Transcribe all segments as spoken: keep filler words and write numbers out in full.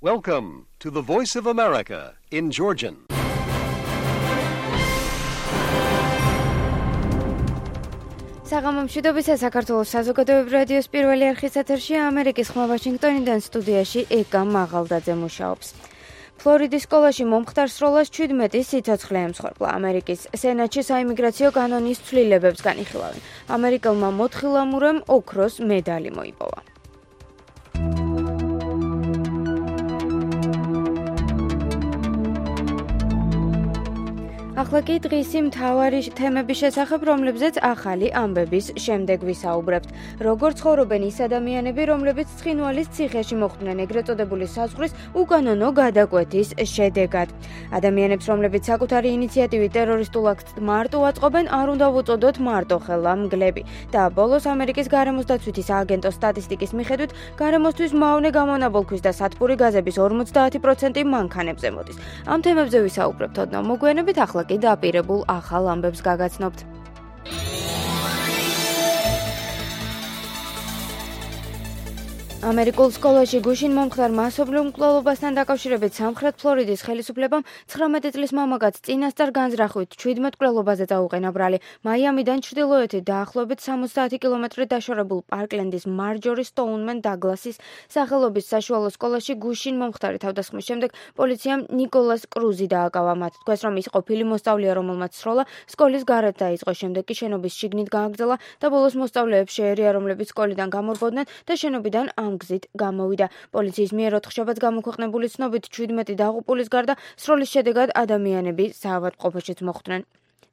Welcome to the Voice of America in Georgian. საღამომშვიდობისა საქართველოს საზოგადოებრივ რადიოს პირველი არხის ეთერში ამერიკის ხმა ვაშინგტონიდან სტუდიაში ეკა მაღალდაძე მუშაობს. ფლორიდის სკოლაში მომხდარ სროლას ჩვიდმეტი სიცოცხლე ემსხვერპლა. ამერიკის სენატში საიმიგრაციო კანონის ცვლილებებს განიხილავენ. ამერიკელმა მოთხილამურემ ოქროს მედალი მოიპოვა. ახლა კი დღისი მთავარი თემების შესახებ, რომლებზეც ახალი ამბების შემდეგ ვისაუბრებთ. როგორ ცხოვრობენ ის ადამიანები, რომლებიც ცხინვალის ციხეში მოხვდნენ ეგრეთ წოდებული საზღვრის უკანონო გადაკვეთის შედეგად. ადამიანებს, რომლებიც საკუთარი ინიციატივით ტერორისტულ აქტს მარტო აწყობენ, არ უნდა ვუწოდოთ მარტოხელა მგლები. და ბოლოს ამერიკის გარემოს დაცვითი სააგენტოს სტატისტიკის მიხედვით, გარემოსთვის მავნე გამონაბოლქვის და სათბური გაზების ორმოცდაათი პროცენტი მანქანებზე მოდის. ამ თემებზე ვისაუბრებთ ოდნავ მოგვიანებით, ახლა კი დაპირებულ ახალ ამბებს გაგაცნობთ. ამერიკულ სკოლაში გუშინ მომხდარ მასობრივ მკვლელობასთან დაკავშირებით სამხრეთ ფლორიდის ხელისუფლებამ ცხრამეტი წლის მამაკაცს წინასწარ განზრახვით ჩვიდმეტ მკვლელობაზე დაუყენა ბრალი. მაიამიდან ჩრდილოეთით დაახლოებით სამოცდაათი კილომეტრი დაშორებულ პარკლენდის მარჯორი სტოუნმენ დაგლასის სახელობის საშუალო სკოლაში გუშინ მომხდარი თავდასხმის შემდეგ პოლიციამ ნიკოლას კრუზი დააკავა. მათ თქვეს, რომ ის ყოფილი მოსწავლეა, რომელმაც სროლა სკოლის გარეთ დაიწყო. შემდეგ კი შენობის შიგნით გააგრძელა და ბოლოს მოსწავლეებს შეერია, რომლებიც სკოლიდან გამორბოდნენ და შენობიდან ამ გზით გამოვიდა. პოლიციის მიერ ოთხშაბათს გამოქვეყნებული ცნობით ჩვიდმეტი დაღუპულის გარდა სროლის შედეგად ადამიანები საავადმყოფოშიც მოხვდნენ.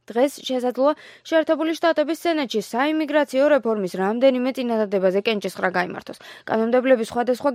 დღეს შესაძლოა შეერთებული შტატების სენატში საიმიგრაციო რეფორმის რამდენიმე წინადადებაზე კენჭისყრა გაიმართოს. კანონმდებლები სხვადასხვა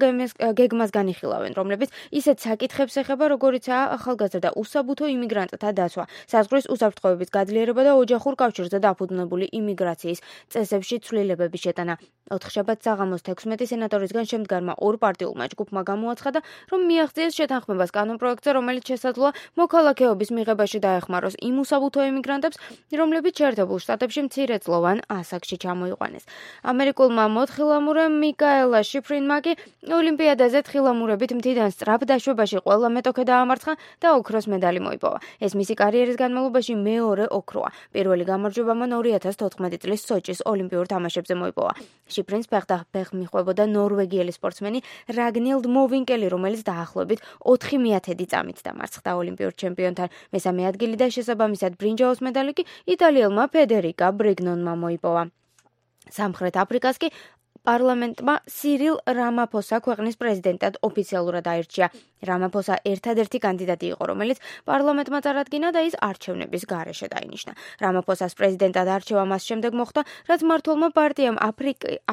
გეგმას განიხილავენ, რომლებიც ისეთ საკითხებს ეხება, როგორიცაა ახალგაზრდა უსაბუთო იმიგრანტთა დაცვა, საზღვრის უსაფრთხოების გაძლიერება და ოჯახურ კავშირზე დაფუძნებული იმიგრაციის წესებში ცვლილებების შეტანა. ოთხშაბათს საღამოს თექვსმეტი სენატორისგან შემდგარმა ორ პარტიულმა ჯგუფმა გამოაცხადა, რომ მიაღწიეს შეთანხმებას კანონპროექტზე, რომელიც შესაძლოა მოქალაქეობის მიღებაში დაეხმაროს იმ უსაბუთო იმიგრანტებს, რომლებიც შეერთებულ შტატებში მცირეწლოვან ასაკში ჩამოიყვანეს. ამერიკულმა მოთხილამურემ მიკაელა შიფრინმა კი ოლიმპიადაზე თხილამურებით მთიდან სწრაფ დაშვებაში ყველა მეტოქე დაამარცხა და ოქროს მედალი მოიპოვა. ეს მისი კარიერის განმავლობაში მეორე ოქროა. პირველი გამარჯვება მან ორი ათას თოთხმეტი წლის სოჭის ოლიმპიურ თამაშებზე მოიპოვა. შიფრინს ფეხდახბეხ მიხვებოდა ნორვეგიელი სპორტსმენი რაგნილდ მოვინკელი, რომელიც დაახლოებით ოთხი მეათედი წამით დამარცხდა ოლიმპიურ ჩემპიონთან. მესამე ადგილი და შესაბამისად ბრინჯაოს მედალი კი იტალიელმა ფედერიკა ბრიგნონმა მოიპოვა. სამხრეთ აფრიკას კი პარლამენტმა სირილ რამაფოსა ქვეყნის პრეზიდენტად ოფიციალურად აირჩია. რამაფოსა ერთადერთი კანდიდატი იყო, რომელიც პარლამენტმა წარადგინა და ის არჩევნების გარეშე დაინიშნა. რამაფოსას პრეზიდენტად არჩევა მას შემდეგ მოხდა, რაც მმართველმა პარტიამ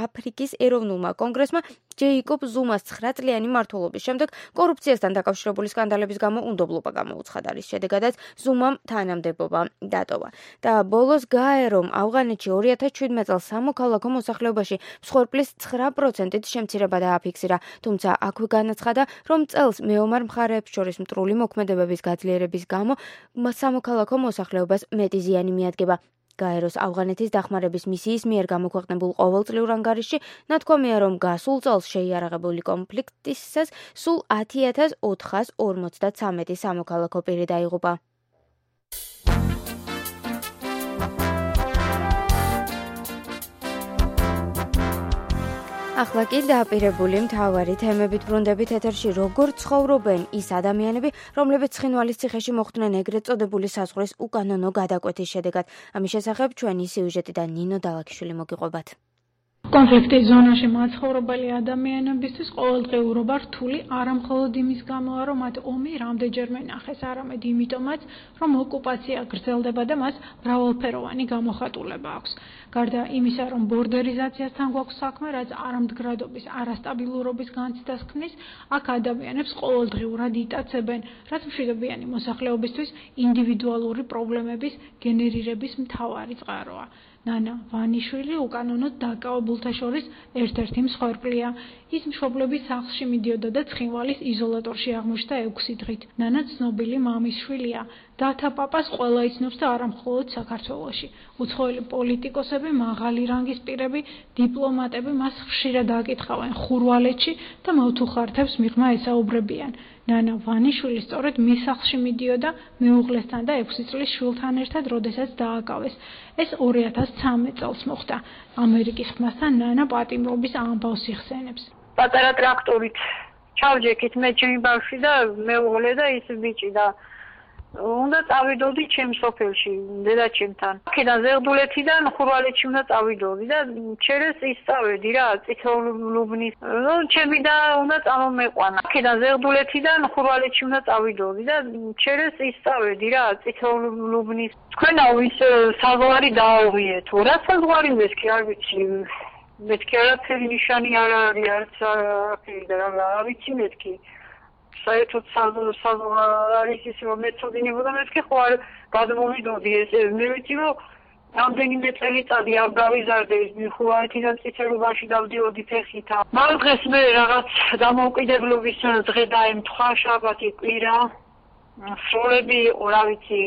აფრიკის ეროვნულმა კონგრესმა ჯეიკობ ზუმას ცხრაწლიანი მმართველობის შემდეგ კორუფციასთან დაკავშირებული სკანდალების გამო უნდობლობა გამოუცხადა, რის შედეგადაც ზუმამ თანამდებობა დატოვა. და ბოლოს გაერომ ავღანეთში ორი ათას შვიდმეტ წელს სამოქალაქო მოსახლეობაში მსხვერპლის ცხრა პროცენტით შემცირება დააფიქსირა, თუმცა აქვე განაცხადა, რომ წელს მეომარ მხარეებს შორის მტრული მოქმედებების გაძლიერების გამო სამოქალაქო მოსახლეობას მეტი ზიანი მიადგება. გაეროს ავღანეთის დახმარების მისიის მიერ გამოქვეყნებულ ყოველწლიურ ანგარიშში ნათქვამია, რომ გასულ წელს შეიარაღებული კონფლიქტისას სულ ათი ათას ოთხას ორმოცდათვრამეტი სამოქალაქო პირი დაიღუპა. ახლა კი დაპირებული მთავარი თემებით ბრუნდებით ეთერში. როგორ ცხოვრობენ ის ადამიანები, რომლებიც ცხინვალის ციხეში მოხვდნენ ეგრეთ წოდებული საზღვრის უკანონო გადაკვეთის შედეგად. ამის შესახებ ჩვენი სიუჟეტიდან ნინო დალაქიშვილი მოგიყვებათ. კონფლიქტის ზონაში მაცხოვრებელი ადამიანებისთვის ყოველდღიურობა რთული არა მხოლოდ იმის გამოა, რომ მათ ომი რამდენჯერმე ნახეს, არამედ იმიტომაც, რომ ოკუპაცია გრძელდება და მას მრავალფეროვანი გამოხატულება აქვს. გარდა იმისა, რომ ბორდერიზაციასთან გვაქვს საქმე, რაც არამდგრადობის, არასტაბილურობის განცდას ქმნის, აქ ადამიანებს ყოველდღიურად იტაცებენ, რაც მშვიდობიანი მოსახლეობისთვის ინდივიდუალური პრობლემების გენერირების მთავარი წყაროა. ნანა ვანიშვილი უკანონოდ დაკავებულთა შორის ერთ-ერთი მსხვერპლია. ის მშობლების სახლში მიდიოდა და ცხინვალის იზოლატორში აღმოჩნდა ექვსი დღით. ნანა ცნობილი მამის შვილია. დათა პაპას ყველა იცნობს და არა მხოლოდ საქართველოში. უცხოელი პოლიტიკოსები, მაღალი რანგის პირები, დიპლომატები მას ხშირად აკითხავენ ხურვალეთში და მოთუხართებს მიღმა ესაუბრებიან. ნანა ვანიშვილი სწორედ მის სახლში მიდიოდა მეუღლესთან და ექვსი წლის შვილთან ერთად, როდესაც დააკავეს. ეს ორი ათას ცხრამეტ წელს მოხდა. ამერიკის ხმასთან ნანა პატიმრობის ამბავს იხსენებს. პატარა ტრაქტორით ჩავჯექით მე ჩემი ბავშვი და მეუღლე და ის ბიჭი და უნდა წავიდოდი ჩემ სოფელში დედაჩემთან. აქედან ზეღდულეთიდან ხურვალეთში უნდა წავიდოდი და ჩერეს ისწავედი რა წითელუბნის. ნუ ჩემი და უნდა წამომეყვანა. აქედან ზეღდულეთიდან ხურვალეთში უნდა წავიდოდი და ჩერეს ისწავედი რა წითელუბნის. თქვენაო ის საზღვარი დააღვიეთ. რა საზღვარი მეთქი არ ვიცი. მეთქი არაფერი ნიშანი არ არის არც არაფერი და რა ვიცი მეთქი. საერთოდ საზღვარი ის რომ მეწოდინებოდა მეთქი ხო არ გადმოვიდოდი ეს მე ვიცი რომ რამდენიმე წელიწადი არ გავიზარდე ის ხურვალეთიდან წითელობაში დავდიოდი ფეხით. მაგრამ დღეს მე რაღაც დამოუკიდებლობის დღე დაემთხვა შაბათი კვირა. სროლები რა ვიცი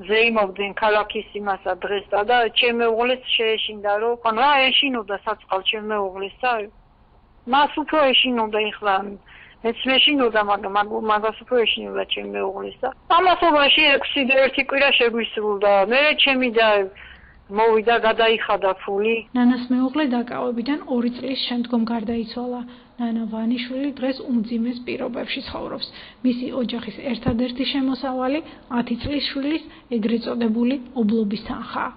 ზეიმობდნენ ქალაქის იმასა დღესა და ჩემ მეუღლეს შეეშინდა რომ ხან რა ეშინოდა საწყალ ჩემ მეუღლესა. მას უფრო ეშინოდა ეხლა მეც მეშინოდა მაგრამ მაგას უფრო ეშინოდა ჩემ მეუღლესა. ამასობაში ექვსი ერთი კვირა შეგვისრულდა. მე ჩემი და მოვიდა გადაიხადა ფული. ნანას მეუღლე დაკავებიდან ორი წლის შემდგომ გარდაიცვალა. ნანა ვანიშვილი დღეს უმძიმეს პირობებში ცხოვრობს. მისი ოჯახის ერთადერთი შემოსავალი ათი წლის შვილის ეგრეთ წოდებული ობლობის თანხაა.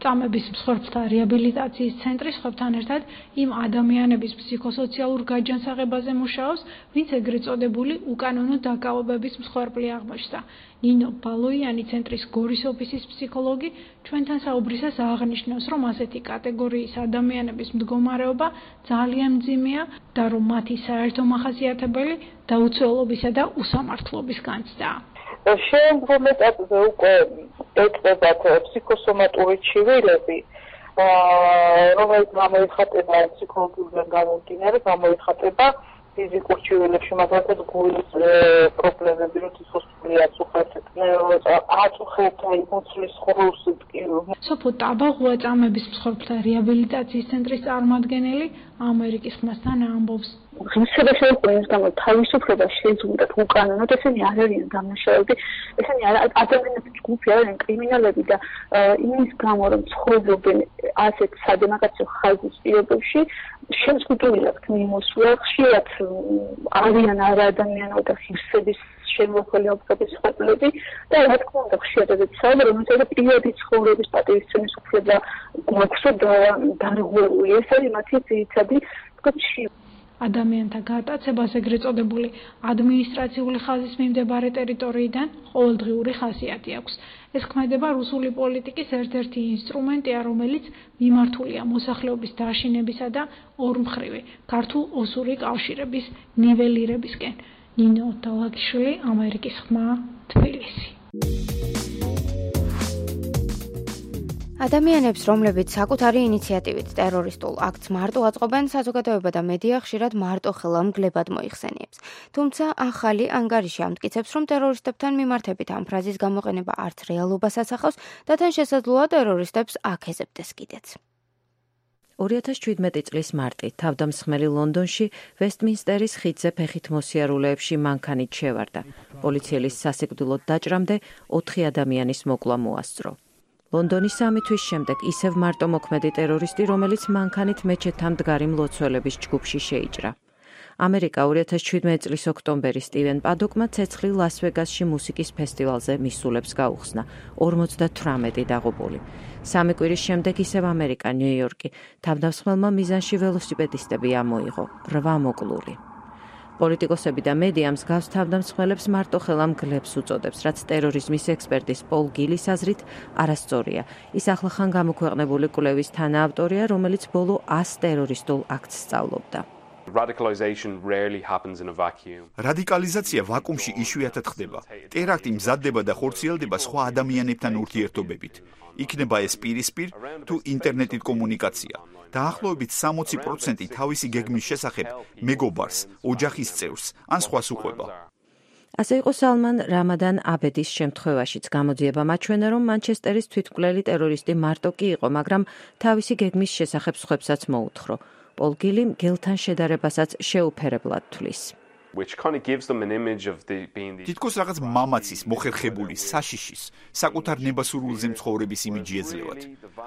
წამების მსხვერპლთა რეაბილიტაციის ცენტრი სხვებთან ერთად იმ ადამიანების ფსიქოსოციალურ გაჯანსაღებაზე მუშაობს, ვინც ეგრეთ წოდებული უკანონო დაკავებების მსხვერპლი აღმოჩნდა. ნინო ბალოიანი ცენტრის გორის ოფისის ფსიქოლოგი ჩვენთან საუბრისას აღნიშნავს, რომ ასეთი კატეგორიის ადამიანების მდგომარეობა ძალიან მძიმეა და რომ მათი საერთო მახასიათებელი დაუცველობისა და უსამართლობის განცდაა. შემდგომ ეტაპზე უკვე ეტყობათ ფსიქოსომატური ჩივილები, რომელიც გამოიხატება ფსიქოლოგიურად გამომდინარე, გამოიხატება ფიზიკურ ჩივილებში, მაგალითად გულის პრობლემები, რომ სიცოცხლე აწუხებთ, აწუხებთ იმოცლის ხროს სოფო ტაბაღუა წამების მსხვერპლთა რეაბილიტაციის ცენტრის წარმომადგენელი ამერიკის ხმასთან ამბობს. ღირსება შეუყვეს გამო თავისუფლება შეძუნდათ უკანონოდ, ესენი არ არიან დამნაშავეები, ესენი ადამიანების ჯგუფი არიან კრიმინალები და იმის გამო რომ ცხოვრობენ ასეთ სადემოკრატიო ხაზის პირობებში შეზღუდული აქვთ მიმოსვლა, ხშირად არიან არაადამიანო და ღირსების შემოხველი ობსტაკლის ხალხები და რა თქმა უნდა ხშირად ეცადა რომ ეს პირადი ცხოვრების პატივისცემის უფლება გვაქვსო და დარღვეული ეს არის მათი ძირითადი კავშირი. ადამიანთა გატაცებას ეგრეთ წოდებული ადმინისტრაციული ხაზის მიმდებარე ტერიტორიიდან ყოველდღიური ხასიათი აქვს. ეს ქმედება რუსული პოლიტიკის ერთ-ერთი ინსტრუმენტია, რომელიც მიმართულია მოსახლეობის დაშინებისა და ორმხრივი ქართულ-ოსური კავშირების ნიველირებისკენ. ნინო დალაგიშვილი, ამერიკის ხმა, თბილისი. ადამიანებს, რომლებიც საკუთარი ინიციატივით ტერორისტულ აქტს მარტო აწყობენ, საზოგადოება და მედია ხშირად მარტო ხელამგლებად მოიხსენიებს. თუმცა ახალი ანგარიში ამტკიცებს, რომ ტერორისტებთან მიმართებით ამ ფრაზის გამოყენება არც რეალობას ასახავს და თან შესაძლოა ტერორისტებს აქეზებდეს კიდეც. ორი ათას შვიდმეტი წლის მარტი თავდამსხმელი ლონდონში ვესტმინსტერის ხიდზე ფეხით მოსიარულეებში მანქანით შევარდა. პოლიციელის სასიკვდილოდ დაჭრამდე ოთხი ადამიანის მოკლა მოასწრო. ლონდონის სამი თვის შემდეგ ისევ მარტო მოქმედი ტერორისტი, რომელიც მანქანით მეჩეთთან მდგარი მლოცველების ჯგუფში შეიჭრა. ამერიკა ორი ათას შვიდმეტი წლის ოქტომბერი სტივენ პადოკმა ცეცხლი ლას-ვეგასში მუსიკის ფესტივალზე მისულებს გაუხსნა, ორმოცდათვრამეტი დაღუპული. სამი კვირის შემდეგ ისევ ამერიკა, ნიუ-იორკი, თავდამსხმელმა მიზანში ველოსიპედისტები ამოიღო, რვა მოკლული. პოლიტიკოსები და მედია მსგავს თავდამსხმელებს მარტო ხელამგლებს უწოდებს, რაც ტერორიზმის ექსპერტის პოლ გილის აზრით არასწორია. ის ახლახან გამოქვეყნებული კვლევის თანაავტორია, რომელიც ბოლო ას ტერორისტულ აქტს სწავლობდა. რადიკალიზაცია ვაკუუმში იშვიათად ხდება. ტერაქტი მზადდება და ხორციელდება სხვა ადამიანებთან ურთიერთობებით. იქნება ეს პირისპირ თუ ინტერნეტით კომუნიკაცია. დაახლოებით სამოცი პროცენტი თავისი გეგმის შესახებ მეგობარს, ოჯახის წევრს ან სხვას უყვება. ასე იყო სალმან რამადან აბედის შემთხვევაშიც. გამოძიება მაჩვენა, რომ მანჩესტერის თვითმკვლელი ტერორისტი მარტო კი იყო, მაგრამ თავისი გეგმის შესახებ სხვებსაც მოუთხრო. პოლ გილი მგელთან შედარებასაც შეუფერებლად თვლის. თითქოს რაღაც მამაცის, მოხერხებული, საშიშის, საკუთარ ნებასურვილზე მცხოვრების იმიჯი ეძლევათ.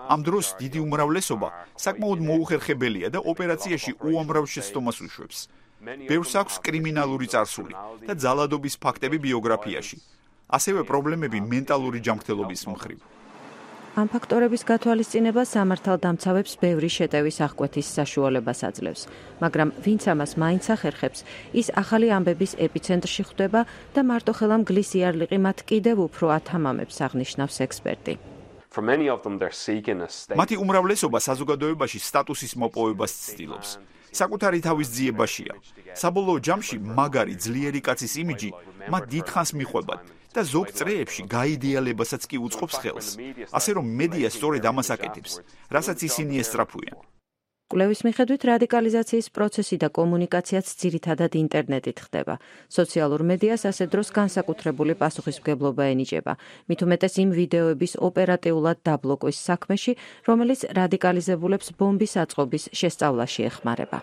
ამ დროს დიდი უმრავლესობა საკმაოდ მოუხერხებელია და ოპერაციაში უამრავ შეცდომას უშვებს. ბევრს აქვს კრიმინალური წარსული და ძალადობის ფაქტები ბიოგრაფიაში. ასევე პრობლემები მენტალური ჯანმრთელობის მხრივ. ამ ფაქტორების გათვალისწინება სამართალდამცავებს ბევრი შეტევის აღკვეთის საშუალებას აძლევს, მაგრამ ვინც ამას მაინც ახერხებს, ის ახალი ამბების ეპიცენტრში ხვდება და მარტოხელა მგლის იარლიყი მათ კიდევ უფრო ათამამებს, აღნიშნავს ექსპერტი. მათი უმრავლესობა საზოგადოებაში სტატუსის მოპოვებას ცდილობს. საკუთარი თავის ძიებაშია. საბოლოო ჯამში მაგარი ძლიერი კაცის იმიჯი მათ დიდხანს მიყვებათ და ზოგ წრეებში გაიდეალებასაც კი უწყობს ხელს. ასე რომ მედია სწორედ ამას აკეთებს, რასაც ისინი ესწრაფვიან. კვლევის მიხედვით რადიკალიზაციის პროცესი და კომუნიკაციაც ძირითადად ინტერნეტით ხდება. სოციალურ მედიას ასე დროს განსაკუთრებული პასუხისმგებლობა ენიჭება. მით უმეტეს იმ ვიდეოების ოპერატიულად დაბლოკვის საქმეში, რომელიც რადიკალიზებულებს ბომბის აწყობის შესწავლაში ეხმარება.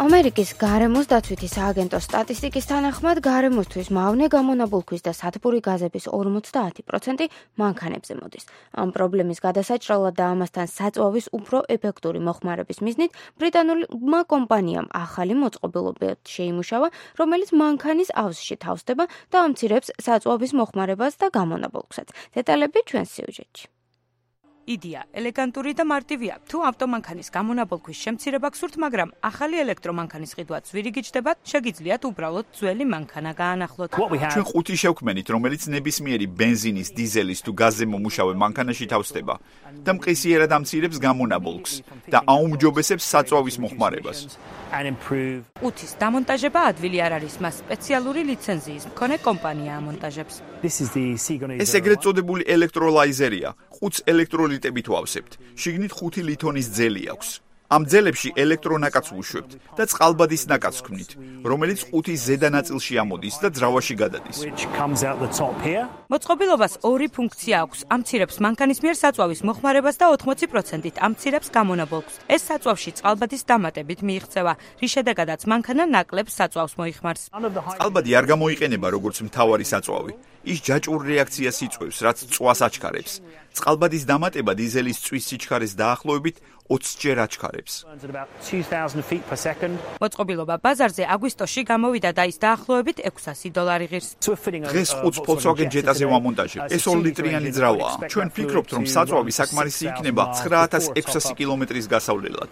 ამერიკის გარემოს დაცვითი სააგენტოს სტატისტიკის თანახმად, გარემოსთვის მავნე, გამონაბოლქვის და სათბური გაზების ორმოცდაათი პროცენტი მანქანებზე მოდის. ამ პრობლემის გადასაჭრელად და ამასთან საწვავის უფრო ეფექტური მოხმარების მიზნით, ბრიტანულმა კომპანიამ ახალი მოწყობილობა შეიმუშავა, რომელიც მანქანის ავზში თავსდება და ამცირებს საწვავის მოხმარებას და გამონაბოლქვსაც. დეტალები ჩვენს სიუჟეტში. იდეა ელეგანტური და მარტივია. თუ ავტომანქანის გამონაბოლქვის შემცირება გსურთ, მაგრამ ახალი ელექტრომანქანის ყიდვაც ვირიგიჯდებათ, შეგიძლიათ უბრალოდ ძველი მანქანა გაანახლოთ. ჩვენ ხუთი შევქმენით, რომელიც ნებისმიერი ბენზინის, დიზელის თუ გაზზე მომუშავე მანქანაში თავსდება და მყისიერად ამცირებს გამონაბოლქს და აუმჯობესებს საწვავის მოხმარებას. ყუთის დამონტაჟება ადვილი არ არის, მას სპეციალური ლიცენზიის მქონე კომპანია ამონტაჟებს. ეს ეგრეთ წოდებული ელექტროლაიზერია. ყუთს ელექტროლიტებით ვავსებთ. შიგნით ხუთი ლითონის ძელი აქვს. ამ ძელებში ელექტრონაკაც ვუშვებთ და წყალბადის ნაკადს ვქმნით, რომელიც ყუთის ზედა ნაწილში ამოდის და ძრავაში გადადის. მოწყობილობას ორი ფუნქცია აქვს. ამცირებს მანქანის მიერ საწვავის მოხმარებას და ოთხმოცი პროცენტით ამცირებს გამონაბოლქვს. ეს საწვავში წყალბადის დამატებით მიიღწევა, რის შედეგადაც მანქანა ნაკლებ საწვავს მოიხმარს. წყალბადი არ გამოიყენება როგორც მთავარი საწვავი. ის ჯაჭვურ რეაქციას იწვევს, რაც წვას აჩქარებს. წყალბადის დამატება დიზელის წვის სიჩქარეს დაახლოებით ოცჯერ აჩქარებს. მოწყობილობა ბაზარზე აგვისტოში გამოვიდა და ის დაახლოებით ექვსასი დოლარი ღირს. დღეს ყუთს Volkswagen Jetta-ზე ვამონტაჟებ. ეს ორი ლიტრიანი ძრავაა. ჩვენ ვფიქრობთ, რომ საწვავი საკმარისი იქნება ცხრა ათას ექვსასი კილომეტრის გასავლელად.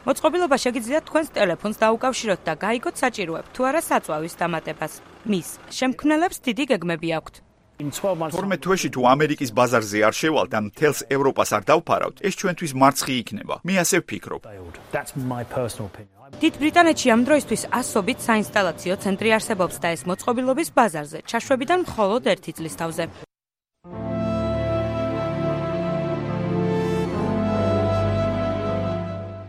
მოწყობილობა შეგიძლიათ თქვენს ტელეფონს დაუკავშიროთ და გაიგოთ საჭიროებთ თუ არა საწვავის დამატებას. მის შემქმნელებს დიდი გეგმები აქვთ. თორმეტ თვეში თუ ამერიკის ბაზარზე არ შევალთ ან მთელს ევროპას არ დავფარავთ, ეს ჩვენთვის მარცხი იქნება. მე ასე ვფიქრობ. დიდ ბრიტანეთში ამ დროისთვის ასობით საინსტალაციო ცენტრი არსებობს და ეს მოწყობილობის ბაზარზე ჩაშვებიდან მხოლოდ ერთი წლის თავზე.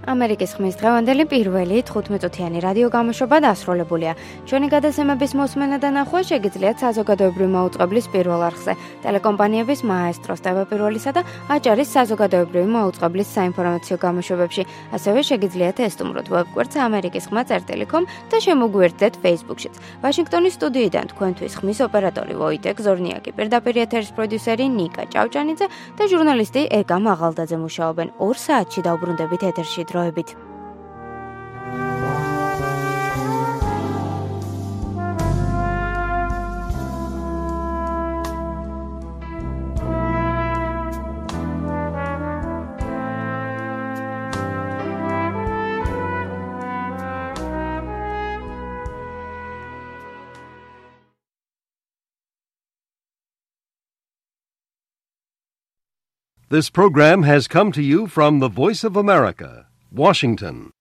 ამერიკის ხმის დღევანდელი პირველი თხუთმეტ-წუთიანი რადიო გამოშვება დასრულებულია. ჩვენი გადაცემების მოსმენა და ნახვა შეგიძლიათ საზოგადოებრივი მაუწყებლის პირველ არხზე, ტელეკომპანიების მაესტროს ტევ-პირველისა და აჭარის საზოგადოებრივი მაუწყებლის საინფორმაციო გამოშვებებში. ასევე შეგიძლიათ ესტუმროთ ვებგვერდს ამერიკის ხმა წერტილი კომ და შემოგვიერთდეთ Facebook-შიც. ვაშინგტონის სტუდიიდან თქვენთვის ხმის ოპერატორი ვოიტეკ ზორნიაკი, პირდაპირ ეთერის პროდიუსერი ნიკა ჭავჭანიძე და ჟურნალისტი ეკა მაღალდაძე მუშაობენ. ორ საათში დაუბრუნდებით ეთერში. დროებით. This program has come to you from the Voice of America, Washington.